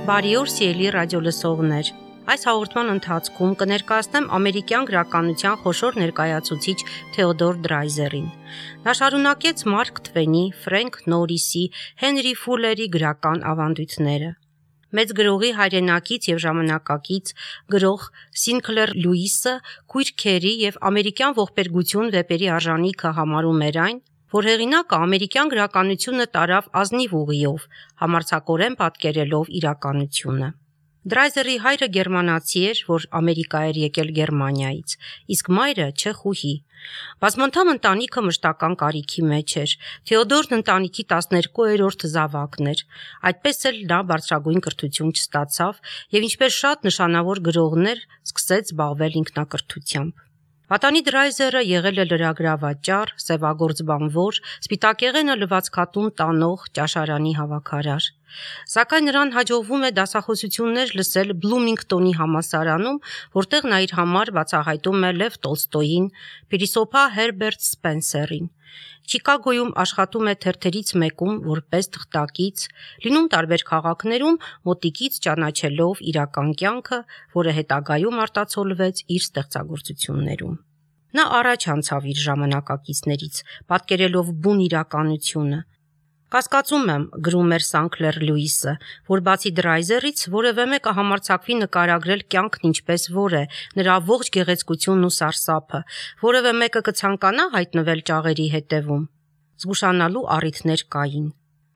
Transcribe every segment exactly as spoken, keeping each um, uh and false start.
Բարի օր, սիրելի ռադիոլսողներ։ Այս հաղորդման ընթացքում կներկայացնեմ ամերիկյան գրականության խոշոր ներկայացուցիչ Թեոդոր Դրայզերին։ Նա շարունակեց Մարկ Թվենի, Ֆրենք Նորիսի, Հենրի Ֆուլերի գրական ավանդույթները։ Մեծ գրողի հայրենակից եւ ժամանակակից գրող Սինքլեր Լյուիսը քույրքերի եւ ամերիկյան ողբերգություն վեպերի արժանիքը համարում էր այն, որ հեղինակը ամերիկյան գրականությունը տարավ ազնիվ ուղիով, համարձակորեն պատկերելով իրականությունը։ Դրայզերի հայրը գերմանացի էր, որ Ամերիկա էր եկել Գերմանիայից, իսկ մայրը չեխուհի։ Բազմանդամ ընտանիքը մշտական կարիքի մեջ էր։ Թեոդորն ընտանիքի տասներկուերորդ զավակն էր։ Այդպես էլ նա բարձրագույն կրթություն չստացավ եւ ինչպես շատ նշանավոր գրողներ, սկսեց զբաղվել ինքնակրթությամբ։ Պատանի Դրայզերը եղել է լրագրավաճառ, սևագործ բանվոր, սպիտակեղենը լվացքատուն տանող, ճաշարանի հավաքարար։ Սակայն նրան հաջողվում է դասախոսություններ լսել Բլումինգտոնի համալսարանում, որտեղ նա իր համար բացահայտում է Լև Տոլստոյին, փիլիսոփա Հերբերտ Սպենսերին։ Չիկագոյում աշխատում է թերթերից մեկում որպես թղթակից, լինում տարբեր քաղաքներում, մոտիկից ճանաչելով իրական կյանքը, որը հետագայում արտացոլվեց իր ստեղծագործություններում։ Նա առաջ անցավ իր ժամանակակիցներից, պատկերելով բուն իրականությունը։ Կասկածում եմ, գրում էր Սինքլեր Լյուիսը, որ բացի Դրայզերից որևէ մեկը համարձակվի նկարագրել կյանքն ինչպես որ է, նրա ողջ գեղեցկությունն ու սարսափը, որևէ մեկը կցանկանա հայտնվել ճաղերի հետևում։ Զգուշանալու առիթներ կային։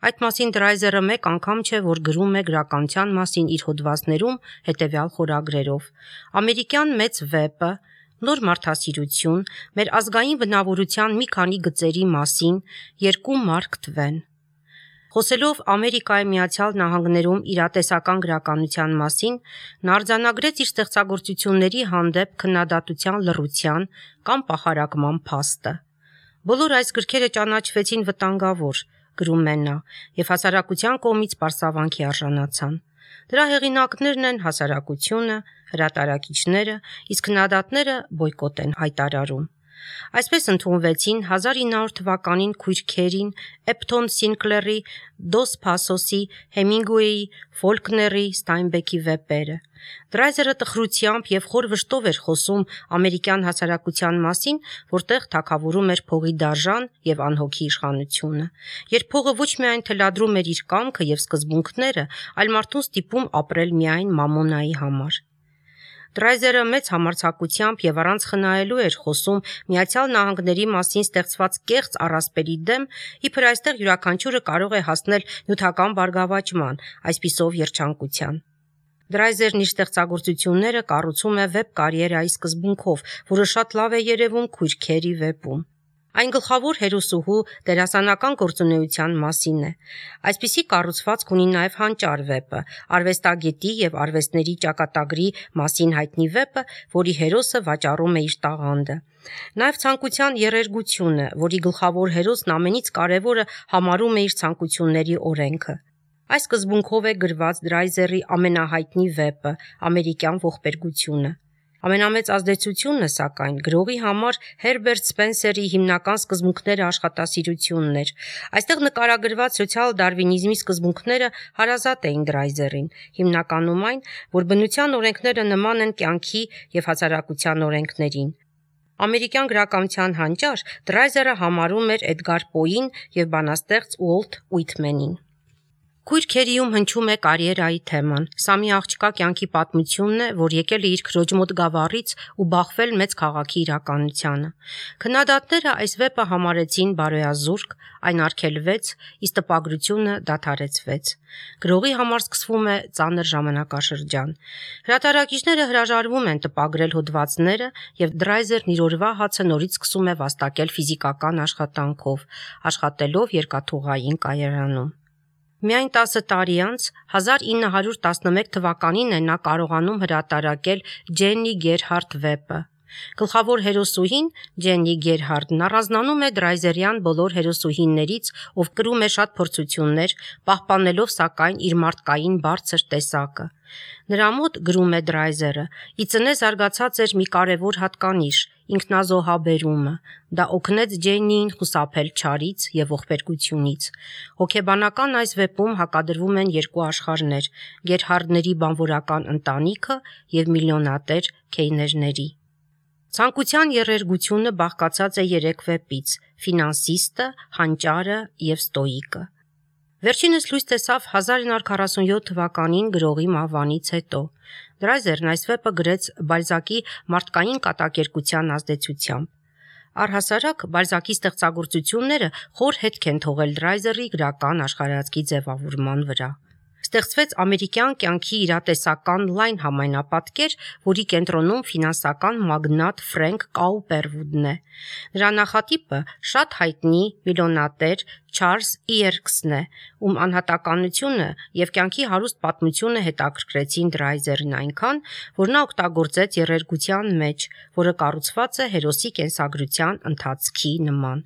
Այդ մասին Դրայզերը մեկ անգամ չէ, որ գրում է գրականության մասին իր հոդվածներում հետևյալ խորագրերով. «Ամերիկյան մեծ վեպը», «Նոր մարդասիրություն», «Մեր ազգային բնավորության մի քանի գծերի մասին», «Երկու Մարկ Թվեն»։ Խոսելով Ամերիկայի Միացյալ Նահանգներում իրատեսական գրականության մասին, նա արձանագրեց իր ստեղծագործությունների հանդեպ քննադատության լռության կամ պախարակման փաստը։ Բոլոր այս գրքերը ճանաչվեցին վտանգավոր, գրում է նա, եւ հասարակության կողմից պարսավանքի արժանացան։ Դրա հեղինակներն են հասարակությունը, հրատարակիչները, իսկ քննադատները բոյկոտ են հայտարարում։ Այսպես ընդունվեցին հազար ինը հարյուր թվականին քույրքերին, Էփթոն Սինքլերի, Դոս Փասոսի, Հեմինգուեյի, Ֆոլկների, Ստայնբեքի վեպերը։ Դրայզերը տխրությամբ եւ խոր վշտով էր խոսում ամերիկյան հասարակության մասին, որտեղ թագավորում էր փողի դաժան եւ անհոգի իշխանությունը, երբ փողը ոչ միայն թելադրում էր իր կամքը եւ սկզբունքները, այլ մարդուն ստիպում ապրել միայն մամոնայի համար։ Դրայզերը մեծ համարձակությամբ եւ առանց խնայելու էր խոսում Միացյալ Նահանգների մասին ստեղծված կեղծ առասպելի դեմ, իբր այստեղ յուրաքանչյուրը կարող է հասնել նյութական բարգավաճման, այսպիսով երջանկության։ Դրայզերն իր ստեղծագործությունները կառուցում է վեպ կարիերայի սկզբունքով, որը շատ լավ է երևում քույրքերի վեպում։ Այն գլխավոր հերոսուհու դերասանական գործունեության մասին է։ Այսպիսի կառուցվածք ունի նաև Հանճար վեպը, արվեստագետի եւ արվեստների ճակատագրի մասին հայտնի վեպը, որի հերոսը վաճառում է իր տաղանդը։ Նաև ցանկության երերգությունը, որի գլխավոր հերոսն ամենից կարևորը համարում է իր ցանկությունների օրենքը։ Այս սկզբունքով է գրված Դրայզերի ամենահայտնի վեպը՝ Ամերիկյան ողբերգությունը։ Ամենամեծ ազդեցությունը, սակայն, գրողի համար Հերբերտ Սպենսերի հիմնական սկզբունքները աշխատասիրությունն էր։ Այստեղ նկարագրված սոցիալ-դարվինիզմի սկզբունքները հարազատ էին Դրայզերին, հիմնականում այն, որ բնության օրենքները նման են կյանքի եւ հասարակության օրենքներին։ Ամերիկյան գրականության հանճար Դրայզերը համարում էր Էդգար Պոին եւ բանաստեղծ Ուոլթ Ուիթմենին։ Քույրքերիում հնչում է կարիերայի թեման։ Սա մի աղջկա կյանքի պատմությունն է, որ եկել է իր քրոջ մոտ Գավառից ու բախվել մեծ քաղաքի իրականությանը։ Քննադատները այս վեպը համարեցին բարոյազուրկ, այն արգելվեց, իսկ տպագրությունը դադարեցվեց։ Գրողի համար սկսվում է ծանր ժամանակաշրջան։ Հրատարակիչները հրաժարվում են տպագրել հոդվածները, եւ Դրայզերն իր օրվա հացը նորից սկսում է վաստակել ֆիզիկական աշխատանքով, աշխատելով երկաթուղային կայարանում։ Միայն տասը տարի անց, հազար ինը հարյուր տասնմեկ թվականին է նա կարողանում հրատարակել Ջեննի Գերհարդ վեպը։ Գլխավոր հերոսուհին Ջեննի Գերհարդն առանձնանում է Դրայզերյան բոլոր հերոսուհիներից, ով կրում է շատ փորձություններ, պահպանելով սակայն իր մարդկային բարձր տեսակը։ Նրա մոտ, գրում է Դրայզերը, ի ծնե զարգացած էր մի կարևոր հատկանիշ՝ ինքնազոհաբերումը։ Դա օգնեց Ջեյնիին խուսափել չարից եւ ողբերգությունից։ Հոգեբանական այս վեպում հակադրվում են երկու աշխարհներ՝ գերհարդների բանվորական ընտանիքը եւ միլիոնատեր քեյներների։ Ցանկության եռերգությունը բաղկացած է երեք վեպից՝ «Ֆինանսիստը», «Հանճարը» եւ «Ստոիկը»։ Վերջինս լույս տեսավ հազար իննսուն քառասունյոթ թվականին գրողի մահվանից հետո։ Դրայզերն այս վեպը գրեց Բալզակի մարդկային կատակերգության ազդեցությամբ։ Առհասարակ Բալզակի ստեղծագործությունները խոր հետք են թողել Դրայզերի գրական աշխարհայացքի ձևավորման վրա։ Ստեղծվեց ամերիկյան կյանքի իրատեսական լայն համայնապատկեր, որի կենտրոնում ֆինանսական մագնատ Ֆրենկ Կաուպերվուդն է։ Նրա նախատիպը շատ հայտնի միլիոնատեր Չարլզ Իերքսն է, ում անհատականությունը եւ կյանքի հարուստ պատմությունը հետաքրքրեցին Դրայզերին այնքան, որ նա օգտագործեց եռերգության մեջ, որը կառուցված է հերոսի կենսագրության ընթացքի նման։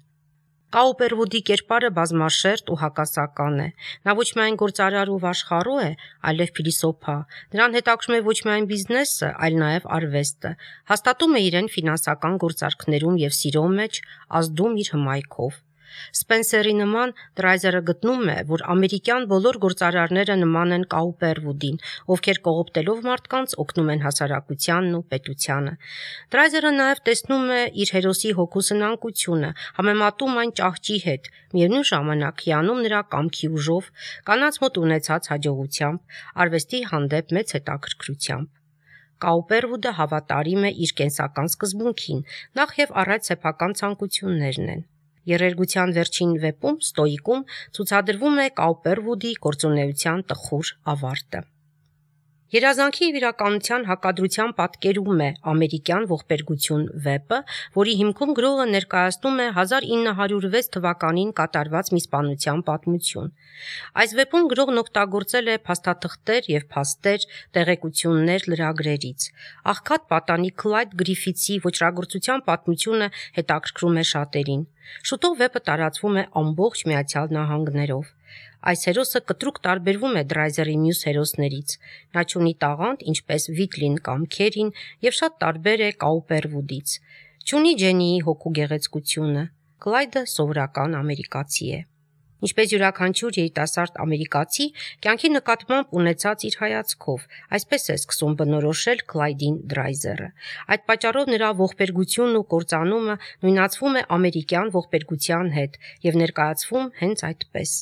Կաուպերվուդի կերպարը բազմաշերտ ու հակասական է։ Նա ոչ միայն գործարար ու վաշխառու է, այլև փիլիսոփա։ Նրան հետաքրում է ոչ միայն բիզնեսը, այլ նաև արվեստը։ Հաստատում է իրեն ֆինանսական գործարքներում եւ սիրո մեջ, ազդում իր հմայքով։ Սպենսերի նման Դրայզերը գտնում է, որ ամերիկյան բոլոր գործարարները նման են Կաուպերվուդին, ովքեր կողոպտելով մարդկանց օգնում են հասարակությանն ու պետությանը։ Դրայզերը նաև տեսնում է իր հերոսի հոգու սնանկությունը, համեմատում այն ճահճի հետ, միևնույն ժամանակ հիանում նրա կամքի ուժով, կանանց մոտ ունեցած հաջողությամբ, արվեստի հանդեպ մեծ հետաքրքրությամբ։ Կաուպերվուդը հավատարիմ է իր կենսական սկզբունքին, նախ եւ առաջ սեփական ցանկություններն են։ Եռերգության վերջին վեպում Ստոիկում ցուցադրվում է Կաուպերվուդի գործունեության տխուր ավարտը։ Երազանքի եւ իրականության հակադրության պատկերում է ամերիկյան ողբերգություն վեպը, որի հիմքում գրողը ներկայացնում է հազար ինը հարյուր վեց թվականին կատարված մի սպանության պատմություն։ Այս վեպում գրողն օգտագործել է փաստաթղթեր եւ փաստեր, տեղեկություններ լրագրերից։ Աղքատ պատանի Քլայդ Գրիֆիթսի ոճրագործության պատմությունը հետաքրքրում է շատերին։ Շուտով վեպը տարածվում է ամբողջ Միացյալ Նահանգներով։ Այս հերոսը կտրուկ տարբերվում է Դրայզերի մյուս հերոսներից։ Նա չունի տաղանդ, ինչպես Վիթլին կամ Քերին, եւ շատ տարբեր է Կաուպերվուդից։ Չունի Ջենիի հոգու գեղեցկությունը։ Քլայդը սովորական ամերիկացի է։ Ինչպես յուրաքանչյուր երիտասարդ ամերիկացի, կյանքի նկատմամբ ունեցած իր հայացքով, այսպես է սկսում բնորոշել Քլայդին Դրայզերը։ Այդ պատճառով նրա ողբերգությունն ու կործանումը նույնացվում է ամերիկյան ողբերգության հետ եւ ներկայացվում հենց այդպես։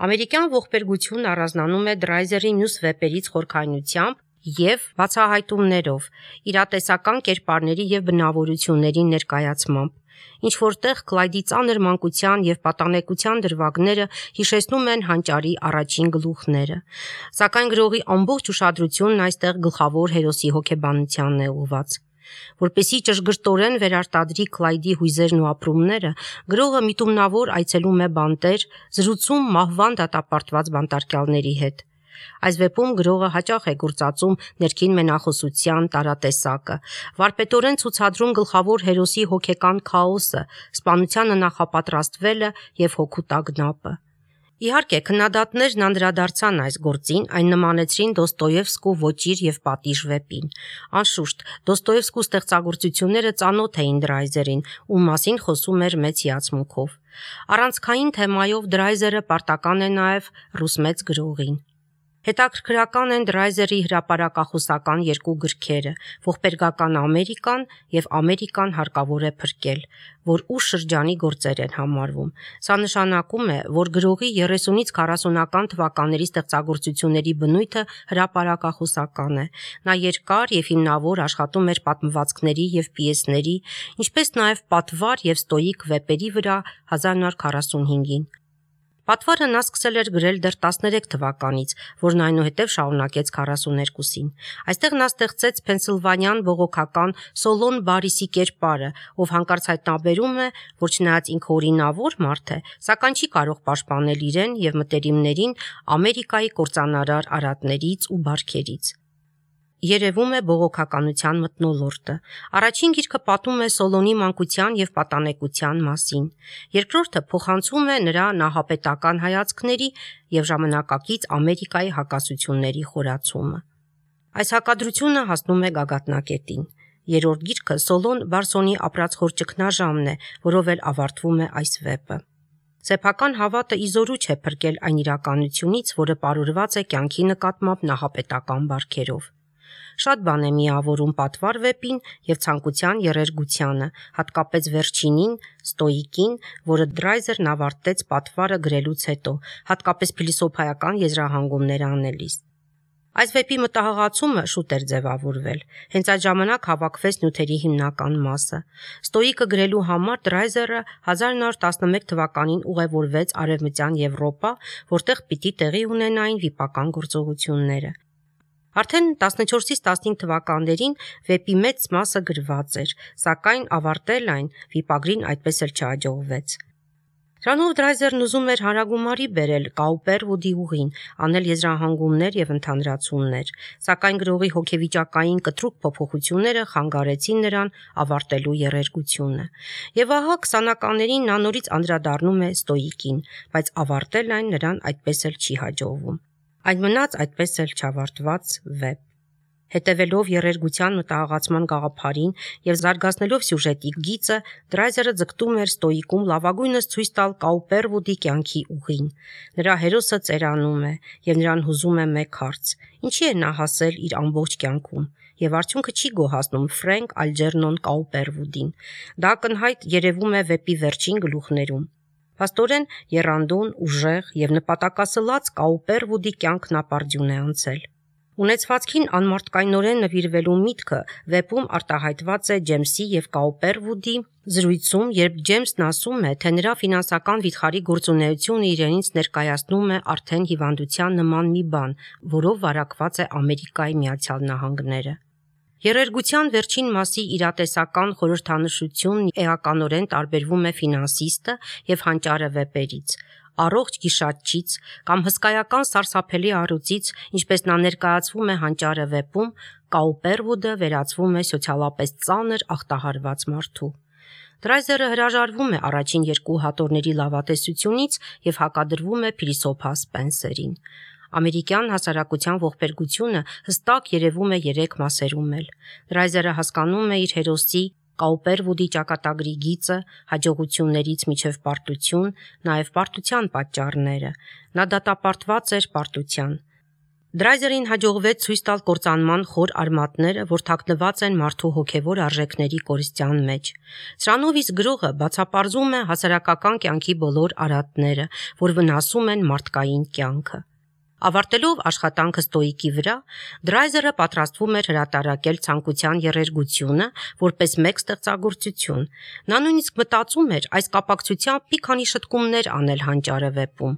Ամերիկյան ողբերգությունն առանձնանում է Դրայզերի մյուս վեպերից խորքայնությամբ եւ բացահայտումներով, իրատեսական կերպարների եւ բնավորությունների ներկայացմամբ։ Ինչ որտեղ Քլայդի ծանր մանկության եւ պատանեկության դրվագները հիշեցնում են հանճարի առաջին գլուխները, սակայն գրողի ամբողջ ուշադրությունն այստեղ գլխավոր հերոսի հոգեբանությանն է ուղղված։ Որպեսզի ճշգրտորեն վերարտադրի Քլայդի հույզերն ու ապրումները, գրողը միտումնավոր այցելում է բանտեր, զրուցում մահվան դատապարտված բանտարկյալների հետ։ Այս վեպում գրողը հաճախ է գործածում ներքին մենախոսության տարատեսակը, վարպետորեն ցուցադրում գլխավոր հերոսի հոգեկան քաոսը, սպանությանը նախապատրաստվելը եւ հոգու տագնապը։ Իհարկե, քննադատներն անդրադարձան այս գործին, այն նմանեցրին Դոստոևսկու Ոճիր եւ պատիժ վեպին։ Անշուշտ, Դոստոևսկու ստեղծագործությունները ծանոթ էին Դրայզերին, ում մասին խոսում էր մեծ հիացմունքով։ Առանցքային թեմայով Դրայզերը պարտական է նաեւ ռուս մեծ գրողին։ Հետաքրքրական են Դրայզերի հրապարակախոսական երկու գրքերը՝ «Ողբերգական Ամերիկան» եւ «Ամերիկան հարկավոր է փրկել», որ ուշ շրջանի գործեր են համարվում։ Սա նշանակում է, որ գրողի երեսունից քառասունական թվականների ստեղծագործությունների բնույթը հրապարակախոսական է։ Նա երկար եւ հիմնավոր աշխատում էր պատմվածքների եւ պիեսների, ինչպես նաեւ պատվար եւ ստոիկ վեպերի վրա հազար իննսուն քառասունհինգին։ Պատվարը նա սկսել էր գրել դեռ տասներեք թվականից, որն այնուհետև շարունակեց քառասուներկուսին։ Այստեղ նա ստեղծեց փենսիլվանյան բողոքական Սոլոն Բարիսի կերպարը, ով հանկարծ հայտնաբերում է, որ չնայած ինքը օրինավոր մարդ է, սակայն չի կարող պաշտպանել իրեն եւ մտերիմներին Ամերիկայի կործանարար արատներից ու բարքերից։ Երևում է բողոքականության մթնոլորտը։ Առաջին գիրքը պատմում է Սոլոնի մանկության եւ պատանեկության մասին։ Երկրորդը փոխանցում է նրա նահապետական հայացքների եւ ժամանակակից Ամերիկայի հակասությունների խորացումը։ Այս հակադրությունը հասնում է գագաթնակետին։ Երրորդ գիրքը Սոլոն Բարսոնի ապրած խոր ճգնաժամն է, որով էլ ավարտվում է այս վեպը։ Սեփական հավատը իզորու չէ փրկել այն իրականությունից, որը պարուրված է կյանքի նկատմամբ նահապետական բարքերով։ Շատ բան է միավորում պատվար վեպին եւ ցանկության երերգությանը, հատկապես վերջինին, ստոիկին, որը Դրայզերն ավարտեց պատվարը գրելուց հետո, հատկապես փիլիսոփայական եզրահանգումներ անելիս։ Այս վեպի մտահղացումը շուտ էր ձևավորվել, հենց այդ ժամանակ հավաքվեց նյութերի հիմնական մասը։ Ստոիկը գրելու համար Դրայզերը հազար նոր տասնմեկ թվականին ուղևորվեց Արևմտյան Եվրոպա, որտեղ պիտի տեղի ունենային վիպական գործողությունները։ Արդեն տասնչորսից տասնհինգ թվականներին վեպի մեծ մասը գրված էր, սակայն ավարտել այն վիպագրին այդպես էլ չհաջողվեց։ Դրանով Դրայզերն ուզում էր հանրագումարի բերել Կաուպերվուդի ուղին, անել եզրահանգումներ եւ ընդհանրացումներ, սակայն գրողի հոգեվիճակային կտրուկ փոփոխությունները խանգարեցին նրան ավարտելու երերգությունը։ Եվ ահա քսանականներին նա նորից անդրադառնում է ստոիկին, բայց ավարտել այն նրան այդպես էլ չի հաջողվում։ Այն մնաց այդպես էլ չավարտված վեպ։ Հետևելով երերգության մտահղացման գաղափարին եւ զարգացնելով սյուժետի գիծը, Դրայզերը ձգտում էր ստոիկում լավագույնս ցույց տալ Կաուպերվուդի կյանքի ուղին։ Նրա հերոսը ծերանում է եւ նրան հուզում է մեկ հարց. ինչի է նա հասել իր ամբողջ կյանքում, եւ արդյունքը չի գոհացնում Ֆրենկ Ալջերնոն Կաուպերվուդին։ Դա ակնհայտ երևում է վեպի վերջին գլուխներում։ Փաստորեն եռանդուն, ուժեղ եւ նպատակասլաց Կաուպերվուդի կյանքն ապարդյուն է անցել։ Ունեցվածքին անմարդկայնորեն նվիրվելու միտքը վեպում արտահայտված է Ջեյմսի եւ Կաուպերվուդի զրույցում, երբ Ջեյմսն ասում է, թե նրա ֆինանսական վիթխարի գործունեությունը իրենից ներկայացնում է արդեն հիվանդության նման մի բան, որով վարակված է Ամերիկայի Միացյալ Նահանգները։ Երերգության վերջին մասի իրատեսական խորհրդանշությունն էականորեն տարբերվում է ֆինանսիստը եւ հանճարը վեպերից, առողջ գիշատչից կամ հսկայական սարսափելի առյուծից, ինչպես նա ներկայացվում է հանճարը վեպում, Կաուպերվուդը վերածվում է սոցիալապես ծանր ախտահարված մարդու։ Դրայզերը հրաժարվում է առաջին երկու հատորների լավատեսությունից եւ հակադրվում է փիլիսոփա Սպենսերին։ Ամերիկյան հասարակության ողբերգությունը հստակ երևում է երեք մասերում էլ։ Դրայզերը հասկանում է իր հերոսի Կաուպերվուդի ճակատագրի գիծը, հաջողություններից մինչև պարտություն, նաև պարտության պատճառները։ Նա դատապարտված էր պարտության։ Դրայզերին հաջողվեց ցույց տալ կործանման խոր արմատները, որ թաքնված են մարդու հոգևոր արժեքների կորստյան մեջ։ Սրանով իսկ գրողը բացապարզում է հասարակական կյանքի բոլոր արատները, որ վնասում են մարդկային կյանքը։ Ավարտելով աշխատանքը ստոիկի վրա, Դրայզերը պատրաստվում էր հրատարակել ցանկության երերգությունը որպես մեկ ստեղծագործություն։ Նա նույնիսկ մտածում էր այս կապակցությամբ մի քանի շտկումներ անել հանճարը վեպում։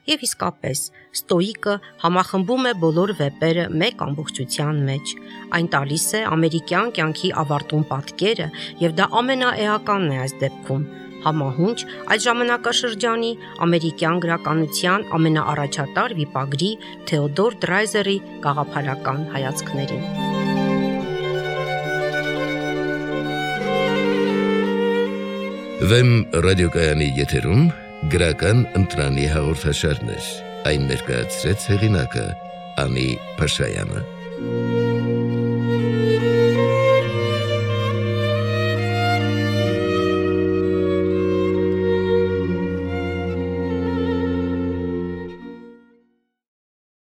Եվ իսկապես, ստոիկը համախմբում է բոլոր վեպերը մեկ ամբողջության մեջ։ Այն տալիս է ամերիկյան կյանքի ավարտուն պատկերը, եւ դա ամենաէականն է այս դեպքում։ Համահունչ այդ ժամանակաշրջանի ամերիկյան գրականության ամենաառաջատար վիպագրի Թեոդոր Դրայզերի գաղափարական հայացքներին։ Վեմ ռադիոկայանի եթերում գրական ընտրանի հաղորդաշարներ, այն ներկայացրեց հեղինակը Անի Փաշայանը։